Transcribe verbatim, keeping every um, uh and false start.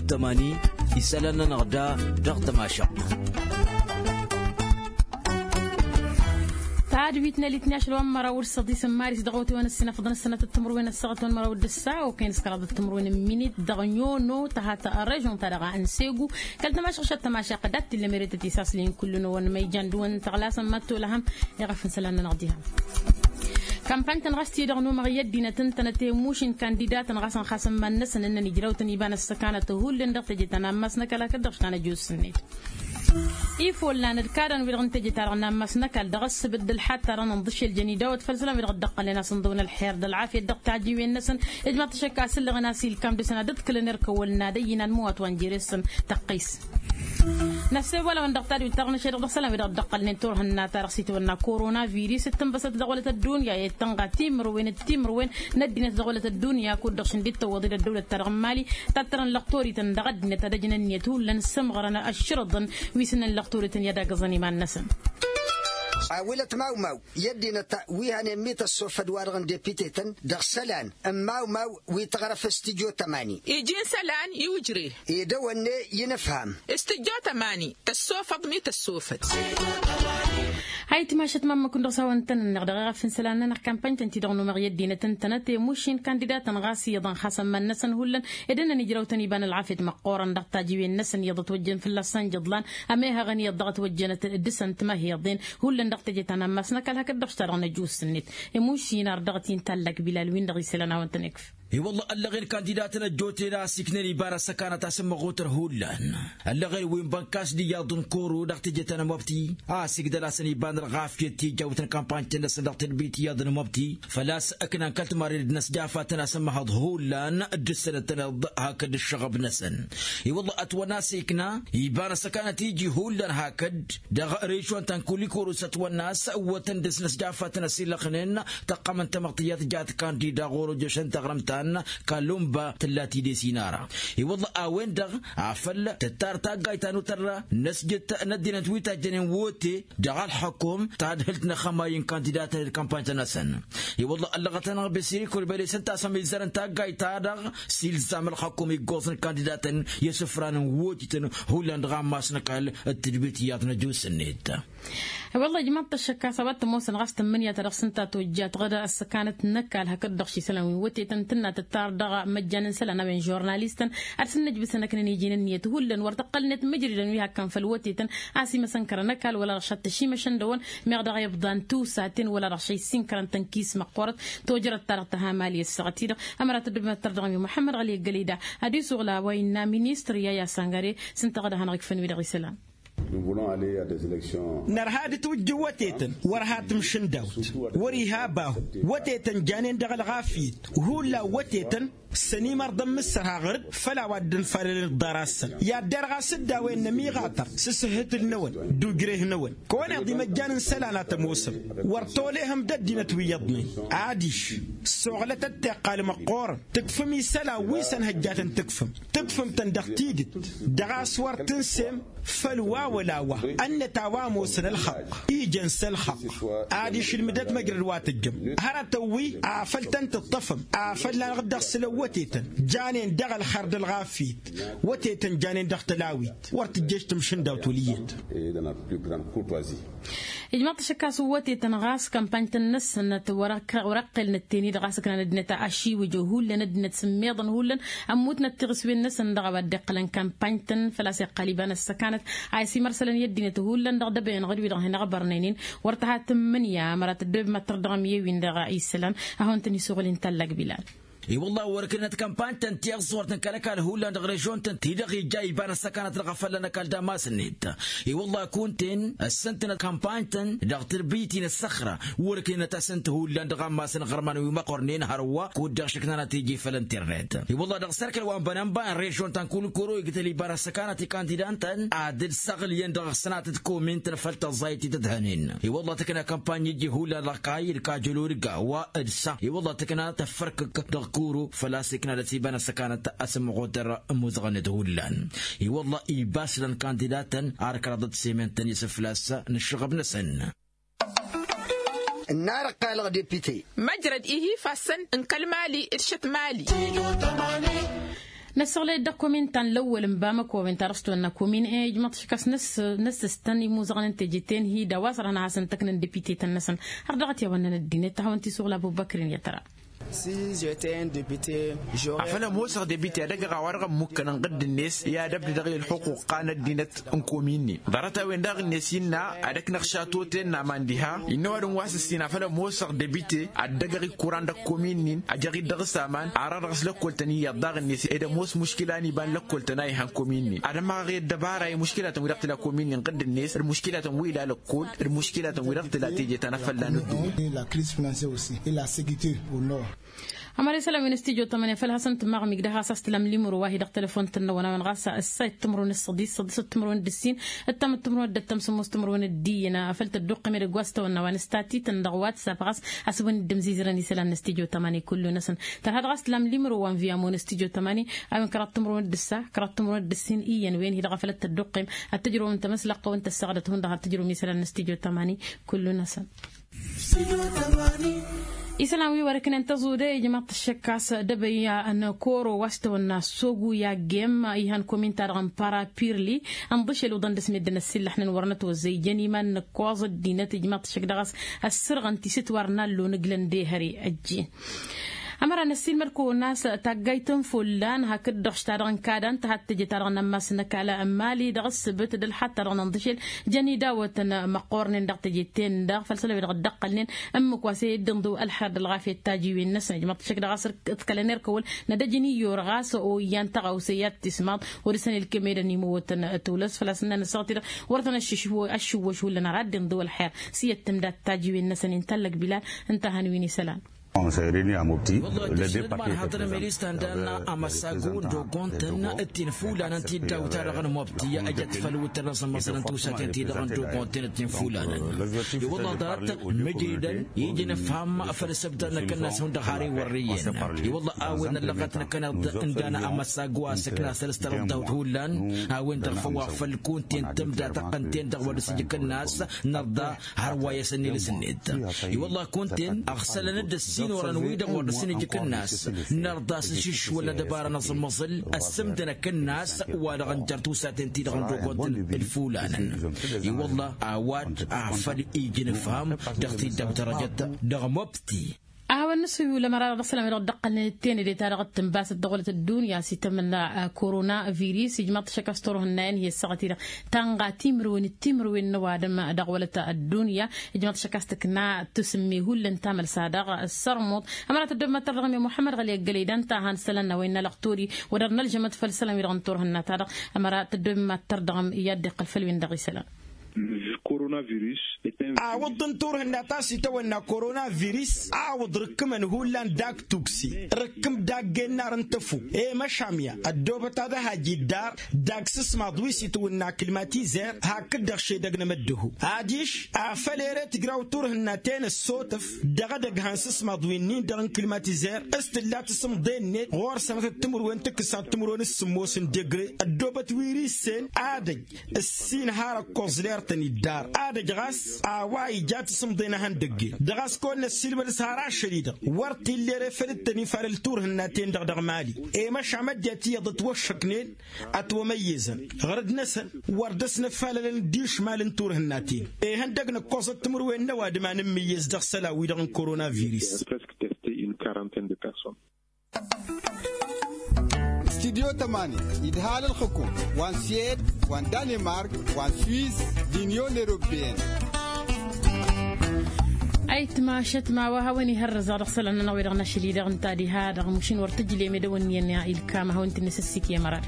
Tămani isălan-nănăɣ da dăɣ-tămašăɣt. Tadwit n-elitni ašăl wa n-măraw d-săḍisăn maris dăɣ-otewăn ăssinăfăḍăn ăssănatăt timǝrwen ăssaɣăt wa n-măraw d-ǝssa okăyăn s-kăraḍăt timǝrwen n-minit dăɣ-nyono tăhat režon-ta-dăɣ a n-segu. Kăl-tămašăɣ šăt tămašăɣ d-ad-t-illa merătăt isaslen kullu-năwăn ma ijan dăɣ-wăn tăɣlasăn mad-tolăhăm. Iɣăf n-isălan-nănăɣ diha. Kampany-tăn ɣas tidăɣ număɣ i-ăddinăt ǝntănăt i-mušin kandidatăn ɣas ănxasăn iman-năsăn ǝnnăn ijrăw-tăn iba n-ăssăkanăt hullan dăɣ-teje ta n-ammas n-ăkall hakd-dăɣ s-tanăjjus-net. Ifollan d-kadăn-wi-dăɣ n-teje-ta-dăɣ n-ammas n-ăkall dăɣ-ăssăbădd ălḥad-ta-dăɣ n-inḍǝšel jăn idawăt făll-isălan-wi-dăɣ dd-ăqqălnen a-s ǝnḍǝwăn ălxer d-ălɣafyăt dăɣ-tajiwen-năsăn. Ijmaḍ-t ašăk a-s ǝllăɣen a-s ilkam dăɣ-săn ad-ǝḍkǝlăn erk ăwwăl n-ad-ăyyǝn anmăwat wa n-jere-săn tăqqis. Năssewălăwăn dăɣ-tadwit-ta-dăɣ n-ăššăl dăɣ-isălan wi-dăɣ dd-ăqqălnen turhǝnna-ta-dăɣ s-itwănna korona virus d-tǝnbăsăt dăɣ-wălăt ăddunya i-tănɣa timǝrwen d-timǝrwen n-ăddinăt dăɣ-wălăt ăddunya kud-dăɣ šǝndit tăwwăḍ-dd ăddăwlăt-ta-dăɣ n-mali. Tattărăn lăqtorităn dăɣ-ăddinăt ad-ăjnăn ǝnniyăt hullan s-ǝmɣărăn ăššărǝḍăn wi s-ǝnnăn lăqtorităn i-ad-agǝẓăn iman-năsăn. A wălăt mawmaw i-ăddinăt wi hănen mi tăssofăd-wa-dăɣ n-depitetăn dăɣ-isălan n-mawmaw wi tăɣrăf s-tǝjjo tămani. Iji n-isălan i-ujre. Edăwănne i-inǝfham. S-tǝjjo tămani tăssofăḍ mi tăssofăd. Hayt mašăt mammăkun dăɣ-s a-wa ǝntănănneɣ dăɣ-eɣăf n-isălan-nănăɣ kampany-tăn-ti-dăɣ număɣ i-ăddinăt ǝntănăt i-mušin kandidatăn ɣas iyyăḍ ănxasăn iman-năsăn hullan. Ed ǝnnăn ijrăw-tăn iba n-ălɣafyăt măqqoorăn dăɣ-tajiwen-năsăn iyyăḍ ătwăjjăn fălla-săn jăḍlan. Ămehăɣăn iyyăḍ dăɣ-ătwăjjăn d-dăɣ-săn timăheḍen hullan dăɣ-teje ta n-ammas n-ăkall hakd-dăɣ s-ta-dăɣ n-ăjus-net. Imuši n-ar dăɣ-t intallak bilal win-dăɣ isălan a-wa ǝntănăkf. I-wălla ăllăɣen kandidatăn ăjjootnen a ăsiknen iba n-ăssăkanăt a-s ǝmmăɣutăn hullan. Ăllăɣen wi n-bănkas d-iyyăḍ n-koro dăɣ-teje ta n-ămoabti a ăsigdăl-asăn iba n-ălɣafyăt tijawt n-kampany-tăn-năsăn dăɣ-tedbit iyyăḍ n-ămoabti. Făl-a-s ǝknan kăl-timarre d-inăsjafat-tăn a-s ǝmmăhăḍ hullan d-ǝssănăt-tăn-iḍ hakd ǝššăɣăb-năsăn. I-wălla ătwănna a-s ikna iba n-ăssăkanăt iji hullan hakd dăɣ-režon ta n-kulikoro s-ătwănna a-s ǝwwătăn dăr-s inăsjafat-tăn ăsilăxnen. Tăqqămăn tamăɣt iyyăt jat kandida ɣur-ojăšăn taɣrǝmt ta n-kalumba tǝlla tidesin ara. I-wălla a-wen-dăɣ afăl tǝttar taggayt ta n-utărra n-ăsjăt n-ăddinăt wi tajjănen wote dăɣ-ălxăkum tadhǝlt n-axămay n-kandidatăn d-kampany-tăn-năsăn. I-wălla ăllăɣăt-anăɣ besiri kurbele s-ǝnta a-s ămizărăn taggayt-ta-dăɣ s-ilzam ălxăkum iggoẓ n-kandidatăn i-asǝfran n-wotităn hullan dăɣ-ammas n-ăkall d-tǝdbit iyyăḍ n-ăjus-net. Wălla ijmaḍ-t ăššăk a-s a-wa t-ămoosăn ɣas tǝmmǝnǝya ta dăɣ-s ǝnta tojjat ɣǝd ăssăkanăt n-ăkall hakd-dăɣ ši isălan wi n-wătetăn tǝnna tǝttar dăɣ-măjjan n-isălan a-wen žurnalistăn ad-sǝnnǝjbǝsăn ăknăn iji n-ǝnniyăt hullan wăr tăqqălnet mǝjridăn wi hak kăn făll-wătetăn a-s imăsăn kărăn ăkall wăla dăɣ-šattăš imăšăn dăwăn. Meɣ dăɣ-ibḍan tusaten wăla dăɣ-šăy s-inkărăn tănkis măqqoorăt tojărăt-ta-dăɣ tăha mali ăssaɣăt-i-dăɣ. Ămărat ăddubem ad-tărdăɣăm i-muḥămmăd ɣăli ăggălăy da ad-isuɣǝl a-wa innă ministăr i-a i-asăngăre s-ǝnta ɣǝd a hanăɣ-ikfăn wi-dăɣ isălan. Nărha d-tiwǝjjǝn wătetăn wăr ha tǝmšǝndawt wăr-iha bahu. Wătetăn janen dăɣ-ălɣafyăt hullan wătetăn s-ănimărḍăn mǝssărha ɣăr-dd făll-a-wa dd-ănfalălăn ǝḍḍar-asăn. I-ad-derɣ a-s dd-a-wen n-ămiɣatăr s-asǝhhǝtǝl-năwăn d-ujreh-năwăn kăwăneḍ imăjjan n-isălan a tămoosăm. Wăr tolehăm d-ăddinăt wi iyyăḍnen adiš s-oɣlătăt tiqqal măqqoorăn. Tǝkfǝm isălan wi s-ănhăjjatăn tǝkfǝm tǝkfǝm-tăn dăɣ-tidǝt dăɣ-a-s wăr tǝnsem făll-wa wăla wa. Ănnăt a-wa ămoosăn ălxăqq ijăn s-ălxăqq. Adiš ǝlmǝdăt măjrăd wa tǝjjăm hărătăn wi afăl tăn-tǝṭṭăfăm afăl lanăɣ-dd-ăɣsǝlăn wătetăn janen dăɣ-ălxer d-ălɣafyăt. Wătetăn janen dăɣ-tălawit wăr tǝjjăš tǝmšǝndawt wăl' iyyăt. Ijmaḍ-t ašăk a-s wătetăn ɣas kampany-tăn-năsnăt wăr-ăqqelnăt teni-dăɣ a-s ǝknan ăddinăt ašiwǝjăw hullan ăddinăt s-ǝmmeḍăn hullan ămmutnăt tiɣǝswen-năsăn dăɣ-a-wa dd-iqqălăn kampany-tăn. Făl-a-s iqqal iba n-ăssăkanăt a isǝmărsălăn i-ăddinăt hullan dăɣ-dăbăyăn ɣǝd-wi-dăɣ hin-ăɣbărnăynen wăr tăha tǝmmǝnǝya ămărat ăddăweb mad-tărdăɣăm i-ewin dăɣ-isălan. Ad-hawăn-tăn-isuɣǝl inta ăllak bilal. I-wălla wăr-ǝknǝnăt kampany-tăn tiẓẓurt n-kăl-ăkall hullan dăɣ-režon-tăn-ti-dăɣ ija iba n-ăssăkanăt dăɣ-afălla n-ăkall d-amas-net. I-wălla kunta-en ăssăntănăt kampany-tăn dăɣ-tǝrbǝyt-in ăssăxra wăr-ǝknǝnăt-asăn-t hullan dăɣ-ammas n-iɣărman wi măqqornen hărwa kud-dăɣ šǝknanăt iji făll-internet. I-wălla dăɣ-sărkăl wa n-bănănba n-režon ta n-kulukuro igdăl iba n-ăssăkanăt ikandidan-tăn ad-dd-săɣlǝyăn dăɣ-sănatăt komin-tăn făll-tăẓẓayt ti tǝdhănen. I-wălla tǝkna kampany iji hullan dăɣ-kayy d-kajălo d-gawa d-sa i-wălla tǝkna tăffărkǝk dăɣ-kuro făl-a-s ikna dăɣ-s iba n-ăssăkanăt asǝmmăɣotăr ămuzăɣăn-net hullan. I-wălla ibas dăɣ-n kandidatăn ar kăraḍăt semintăn isǝflas n-ǝššăɣăb-năsăn. Ǝnnar ăqqalăɣ depite. Măjrăd ihi ifassăn n-kăl-mali d-šăt mali. Năssăɣlăy-dd dăɣ-komin ta n-lăwwăl n-bamăko a-wen ta dăɣ-s tăwănna komin ijmăḍ-t šik a-s năssăstăn imuzăɣăn n-teje-ten hi-dd a-wa s-ărhăn ad-hasăn-tăknăn depite-tăn-năsăn. Har dăɣ-t i-a-wa ǝnnăn ăddinăt ad-hawăn-t-isuɣǝl abubăkrin i-ad-tăra. Afăl ămoosăɣ depite ad-ăgg-ăɣ a-wa dăɣ-ămmukkăn ănɣǝdd-net i-ad-ăbdădăɣ i-ălxuqqa n-ăddinăt n-komin-in. Ḍarăt-a-wen daɣ-net innă ad-ăknăɣ šatoten n-aman diha innă ăwadǝm wa s-ǝssin afăl ămoosăɣ depite ad-dăgăɣ ikkuran dăɣ-komin-in ăjăɣ-dd dăɣ-s aman. Arăɣ dăɣ-s lăkkol-tăn iyyăḍ daɣ-net ed ămoos muškila n-iba n-lăkkol-tăn a ihăn komin-in ad-ămmaɣăɣ i-ăddăbara i-muškilatăn wi dăɣ-tǝla komin-in ɣǝdd-net d-muškilatăn wi ila lăkkol d-muškilatăn wi dăɣ-tǝla teje ta n-afălla n-ăddunya. Ămăra isălan wi n-ăstijjo tămăne făl hasăn-tǝmmaɣ migdăh ɣas a-s tǝlam limru wa hi-dăɣ tălăfon-tăn-năwăn a-wen ɣas ǝssa i-timǝrwen d-săḍis săḍis d-timǝrwen d-ǝssin ǝttam d-timǝrwen d-ǝttăm sǝmmos timǝrwen d-iyyăn. Făl tădduqqem edăgg wa s-tawănna wa n-ǝstatităn dăɣ-whatsapp ɣas a-s wăn-dd-ǝmzizărăn isălan n-ăstijjo tămăne kullu-năsăn. Tărha dăɣ-a-s tǝlam limru wa n-viyamo n-ăstijjo tămăne a-wen kăraḍ timǝrwen d-ǝssa kăraḍ timǝrwen d-ǝssin iyyăn wen hi-dăɣ a făl ăttădduqqem ad-tǝjrăwăm tamăslăɣt-tăwăn tăssaɣdăt hundăɣ ad-tǝjrăwăm isălan n-ăstijjo tămăne. Kullu-năsăn. Isălan wi wăr-ǝknen tăẓude ijmaḍ-t ăššăk a-s dăbăyya n-koro wa s-tăwănna sogu i-aggem ihăn komin-ta-dăɣ n-parapirli. Ănḍǝšel uḍăn dăr-s meddǝn ăssillăxnen wăr nătwăzzăy jăn iman n-ǝkkoẓ ăddinăt ijmaḍ-t ăššăk dăɣ-s ăssărɣăn tisǝtwar n-allo n-ǝglăn d-ehăre ăjjeen. Ămăra năssiilmăd-kăwăn a-s taggayt ta n-follan hakd-dăɣ š-ta-dăɣ n-kada n-tăhadd teje-ta-dăɣ n-ammas n-ăkall n-mali dăɣ-ǝssǝbǝt d-ălxaḍ-ta-dăɣ n-inḍǝšel. Jăn idawătăn măqqornen dăɣ-teje-ten-dăɣ făll-isălan wi-dăɣ dd-ăqqălnen ǝmmǝk wa s-e-dd-inḍǝw ălxer d-ălɣafyăt tajiwen-năsăn ijmăḍ-t šik dăɣ-a-s ǝḍkălăn erk ăwwăl n-ad-ăj n-iyyăwăr ɣas oyyăn tăɣawse i-ad-t-ismaḍ. Wăr-dăr-săn ilkǝm ed ănimăwătăn tolăs făl-a-s ǝnnan ăssaɣăt-i-dăɣ wăr-tăn-ăššǝwwăš hullan har ad-dd-inḍǝw ălxer. S-iyyăt tǝmdat tajiwen-năsăn intăllăg bilal ǝnta a hăn wi n-isălan. Wăllah tǝššǝnăt ma n-haḍărăm elis ta n-dan amăsagu n-dogon-tăn d-tinfulanăn ti dd-awt-ta-dăɣ n-mobti ăjăt făll-wǝttărăn s-ămmăẓălăn tusaten-ti-dăɣ n-dogon-tăn d-tinfulanăn. I-wăllah ḍarăt măjridăn ija n-ǝfham făll-săbdăr n-akănnas hundăɣ har iwărrǝyăn. I-wăllah a-wen ăllăɣăt n-akăneḍ n-dan amăsagu a-s ǝkna săr-s tărăḍḍawt hullan. A-wen-dăɣ făw a făl kunten tǝmda tăqqăn-ten-dăɣ wăr dăr-s ija akănnas nărḍa. Har wa i-asăn ilǝs-net i-wălla kunten ăɣsălăn-dd ăssinorăn-wi-dăɣ wăr dăr-săn ija akǝnnas. Nărḍa s-ašǝššǝwăl n-ad-ăbara n-aẓǝmmăẓǝl ăssǝmdăn akǝnnas wa-dăɣ ǝnjăr tusaten-ti-dăɣ n-dogon-tăn d-ifulanăn. I-wălla a-wa-dd afăl ija anǝfham dăɣ-tiddaw tărăjăt dăɣ-mobti. A hawăn-nǝsǝyul ămăra dăɣ-isălan-wi-dăɣ dd-ăqqălnen d-tenăde-ta-dăɣ d-tǝnbasăt dăɣ-wălăt ăddunya s-itămănna. Korona viris ijmaḍ-t ašăk a-s turhǝnnayen hi-ăssaɣăt-i-dăɣ tanɣa timǝrwen d-timǝrwen n-ăwadǝm dăɣ-wălăt ăddunya. Ijmaḍ-t ašăk a-s tǝkna tǝsǝmme hullan tamălsa dăɣ-sărmuḍ. Ămăra tăddob mad-tărdăɣăm i-muḥămmăd ɣăli ăggălăy d-ănta a han isălan n-a-wa innă lăɣ tori wăr dăr-nălžămăt făll-isălan-wi-dăɣ n-turhǝnna-ta-dăɣ. Ămăra tăddob mad-tărdăɣăm i-ad-dd-iqqăl făll-win-dăɣ isălan. Awǝḍt n-turhǝnna ta s-itawănna korona viris awǝḍ rǝkkǝmăn hullan dag tukse rǝkkǝm dagg ennar n-tăfuk. I-măšamya ăddoobăt ad-ăhaj iddar dag sǝsmaḍ wi s-itwǝnna kǝlmatizer hakd-dăɣ šedăgg n-emăddǝhu. Adiš afăl ere tǝjraw turhǝnna-ten ăssotăf dăɣ-edăgg han sǝsmaḍ wi-nin-dăɣ n-kǝlmatizer s-tǝlla tasǝmḍe-net ɣur-sănătăt timǝrwen tǝkkǝsat timǝrwen s-sǝmmos n-degre. Ăddoobăt wi risen adăj ǝssin har ăkkoẓ ler-tăn iddar. Ad-ăj ɣas a-wa ija tasǝmḍe n-ehăndăgg-en dăɣ-a-s kăwăn-năssiilmăd s-har ašăl-i-dăɣ wăr t-illa ere făll-dd-tăn-ifalăl turhǝnna-ten-dăɣ dăɣ-mali. I-măšan măddiyăt iyyăḍ ătwăššăknen ătwămăyyăzăn ɣărăd-năsăn wăr dăr-s nǝfalălăn d-išmal n-turhǝnna-ten. Ihăndăg n-ǝkkoẓăt timǝrwen n-ăwadǝm a nǝmmǝyyăz dăɣ-isălan-wi-dăɣ n-korona viris. Studio tămani idhal ǝlxǝkum wa n-swed wa n-danemark wa n-swiz d-inyon eropeyăn. Ayǝtma ašătma wa hawăn-ihărrăzăɣ dăɣ-isălan-nănăɣ wi-dăɣ n-ašăl-i-dăɣ ǝnta diha-dăɣ mušin wăr tǝjlem ed awăn-iyyăn ilkam ad-hawăn-t-nǝsǝssik i-amăra.